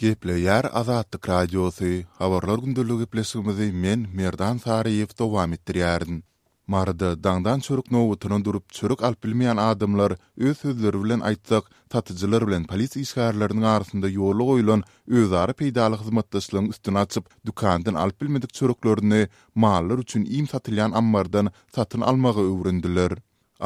Gepleýär Azatlyk Radiosy, Habarlar gündeligi gepleşigimizi men, Merdan Saryýew dowam etdirýärin. Maryda daňdan çörek nobatyna durup, çörek alyp bilmeýän adamlar, öz sözleri bilen aýtsak, satyjylar bilen polisiýa işgärleriniň arasynda ýola goýlan özara peýdaly hyzmatdaşlygyň üstüni açyp, dükandan alyp bilmedik çöreklerini mallar üçin iým satylýan ammardan satyn almagy öwrendiler.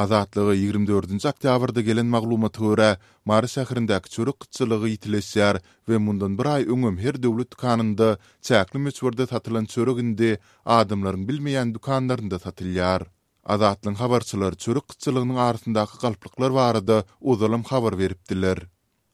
Azatlyga 24-nji oktýabrda gelen maglumata görä, Mary şäherindäki çörek gytçylygy ýitileşýär we mundan bir aý öňem her döwlet dükanynda çäkli möçberde satylan çörek indi adamlaryň bilmeýän dükanlarynda satylýar. Azatlygyň habarçylary çörek gytçylygynyň arasyndaky galplyklar barada ozalam habar beripdiler.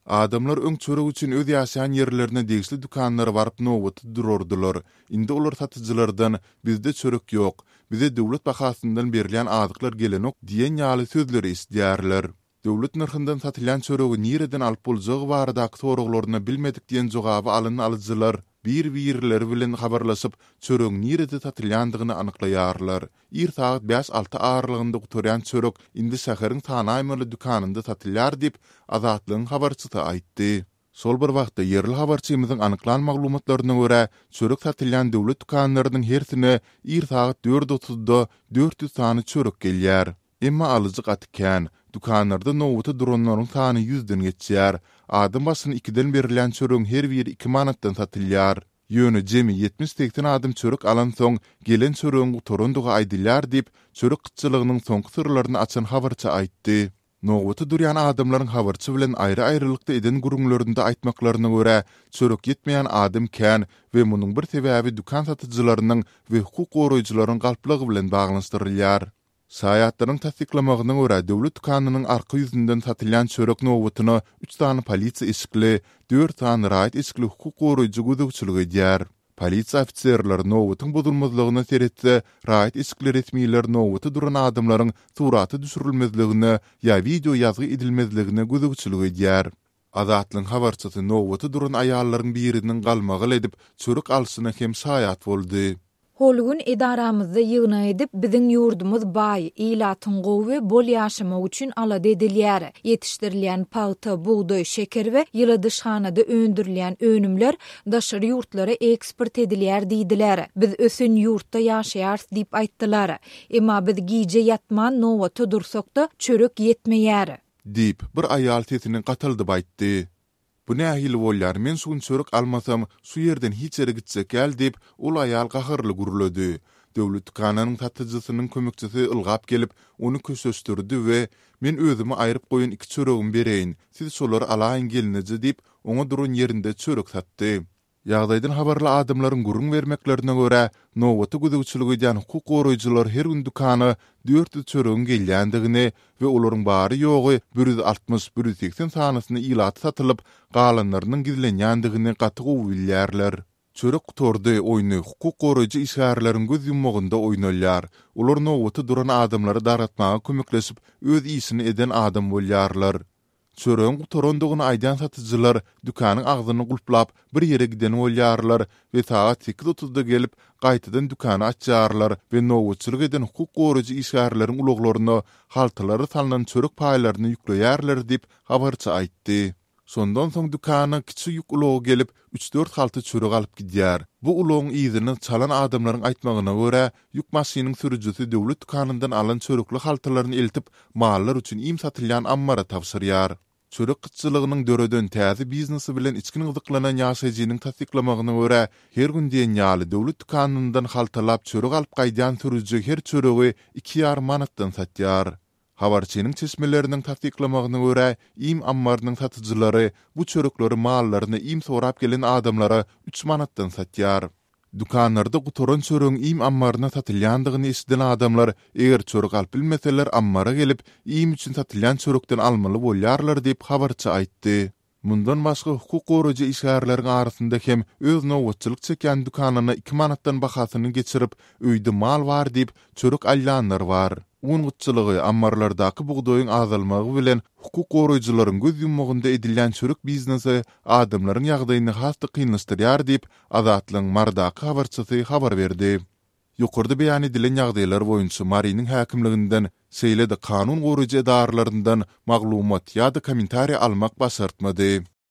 Adamlar öň çörek üçin öz ýaşaýan ýerlerine degişli dükanlara baryp nobata durardylar. Indi olar satyjylardan Bizde çörek ýok. Bize döwlet bahasyndan berilýän azyklar gelenok diýen ýaly sözleri eşidýärler. Döwlet nyrhyndan satylýan çöregi nireden alyp boljagy baradaky soraglaryna bilmedik diýen jogaby alan alyjylar bir-birleri bilen habarlaşyp, çöregiň nirede satylýandygyny anyklaýarlar. Ir sagat bäş-alty aralygynda gutarýan çörek indi şäheriň sanaýmaly dükanynda satylýar diýip, Azatlygyň habarçysy aýtdy. Şol bir wagtda, ýerli habarçymyzyň anyklan maglumatlaryna görä, çörek satylýan döwlet dükanlarynyň hersine ir sagat dört otuzda 400 sany çörek gelýär. Emma alyjy gaty kän. Dükanlarda nobata duranlaryň sany ýüzden geçýär. Adam başyna ikiden berilýän çöregiň her biri iki manatdan satylýar. Ýöne jemi ýetmiş-segsen adam çörek alansoň, gelen çöregiň gutarandygy aýdylýar diýip, çörek gytçylygynyň soňky syrlaryny açan habarçy aýtdy. Nobata durýan adamlaryň habarçy bilen aýry-aýrylykda eden gürrüňlerinde aýtmaklaryna görä, çörek ýetmeýän adam kän we munuň bir sebäbi dükan satyjylarynyň we hukuk goraýjylaryň galplygy bilen baglanyşdyrylýar. Şaýatlaryň tassyklamagyna görä, döwlet dükanynyň arka ýüzünden satylýan çörek nobatyna üç sany polisiýa eşikli, dört sany raýat eşikli hukuk goraýjy gözegçilik edýär. Polisiýa ofiserleri nobatyň bozulmazlygyna seretse, raýat eşikli resmiler nobata duran adamlaryň surata düşürilmezligine ýa wideo ýazgy edilmezligine gözegçilik edýär. Azatlygyň habarçysy nobata duran aýallaryň biriniň galmagal edip, çörek alşyna hem şaýat boldy. Hol gün edaramyzda ýygnak edip, biziň ýurdumyz baý, ilatyň gowy we bol ýaşamagy üçin alada edilýär. Ýetişdirilýän pagta, bugdaý, şeker we ýyladyşhanada öndürilýän önümler daşary ýurtlara eksport edilýär diýdiler. Biz ösen ýurtda ýaşaýarys diýip aýtdylar. Emma biz gije ýatman nobata dursak-da, çörek ýetmeýär. Diýip, bir aýal sesini gataldyp aýtdy. Bu nähili bolýar, men şu gün çörek almasam, şu ýerden hiç ýere gitjek däl diýip, ol aýal gaharly gürledi. Döwlet dükanynyň satyjysynyň kömekçisi ylgap gelip, ony köşeşdirdi we, Men özüme aýryp goýan iki çöregimi bereýin, siz şolary alaýyň gelneje diýip, oňa duran ýerinde çörek satdy. Ýagdaýdan habarly adamlaryň gürrüň bermeklerine görä, nobata gözegçilik edýän hukuk goraýjylar her gün dükana 400 çöregiň gelýändigini we olaryň bary-ýogy 160, 180 sanysyny ilata satylyp, galanlarynyň gizlenýändigini gaty gowy bilýärler. Çörek gutardy oýny hukuk goraýjy işgärleriň göz ýummagynda oýnalýar. Olar nobata duran adamlary dargatmaga kömekleşip, öz işini eden adam bolýarlar. Çöregiň gutarandygyny aýdýan satyjylar dükanyň agzyny gulplap, bir ýere giden bolýarlar we sagat sekiz otuzda gelip, gaýtadan dükany açýarlar we nobatçylyk eden hukuk goraýjy işgärleriň ulaglaryna haltalara salnan çörek paýlaryny ýükleýärler diýip, habarçy aýtdy. Şondan soň dükana kiçi ýük ulagy gelip, üç-dört halta çörek alyp gidýär. Bu ulagyň yzyny çalan adamlaryň aýtmagyna görä, ýük maşynyň sürüjisi döwlet dükanyndan alan çörekli haltalaryny eltip, mallar üçin iým satylýan ammara tabşyrýar. Çörek gytçylygynyň döreden täze biznesi bilen içgin gyzyklanan ýaşaýjynyň tassyklamagyna görä, her gün diýen ýaly döwlet dükanyndan haltalap çörek alyp gaýdýan sürüji her çöregi iki ýarym manatdan satýar. Habarçynyň çeşmeleriniň tassyklamagyna görä, iým ammarynyň satyjylary bu çörekleri mallaryna iým sorap gelen adamlara üç manatdan satýar. Dükanlarda gutaran çöregiň iým ammaryna satylýandygyny eşiden adamlar, eger çörek alyp bilmeseler ammara gelip, iým üçin satylýan çörekden almaly bolýarlar diýip, habarçy aýtdy. Mundan başga, hukuk goraýjy işgärleriň arasynda hem öz nobatçylyk çekýän dükanyna iki manatdan bahasyny geçirip, öýde mal bar diýip, çörek alýanlar bar. Un gytçylygy, ammarlardaky bugdaýyň azalmagy bilen hukuk goraýjylaryň göz ýummagynda edilýän çörek biznesi adamlaryň ýagdaýyny has-da kynlaşdyrýar diýip, Azatlygyň Marydaky habarçysy habar berdi. Ýokarda beýan edilen ýagdaýlar boýunça Marynyň häkimliginden, şeýle-de kanun goraýjy edaralaryndan maglumat ýa-da kommentariý almak başartmady.